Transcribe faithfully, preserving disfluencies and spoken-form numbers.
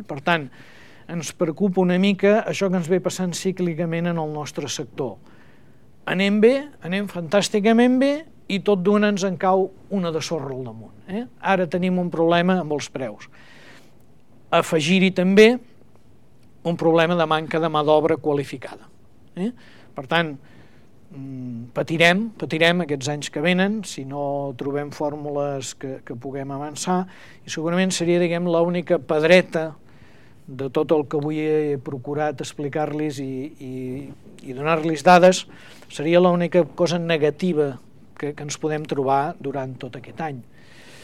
Per tant, ens preocupa una mica això que ens ve passant cíclicament en el nostre sector. Anem bé, anem fantàsticament bé, i tot d'una ens en cau una de sorra al damunt. Eh? Ara tenim un problema amb els preus. Afegir-hi també un problema de manca de mà d'obra qualificada. Eh? Per tant, patirem, patirem aquests anys que venen si no trobem fórmules que, que puguem avançar, i segurament seria, diguem, l'única pedreta de tot el que avui he procurat explicar-los i, i, i donar-los dades, seria l'única cosa negativa que, que ens podem trobar durant tot aquest any.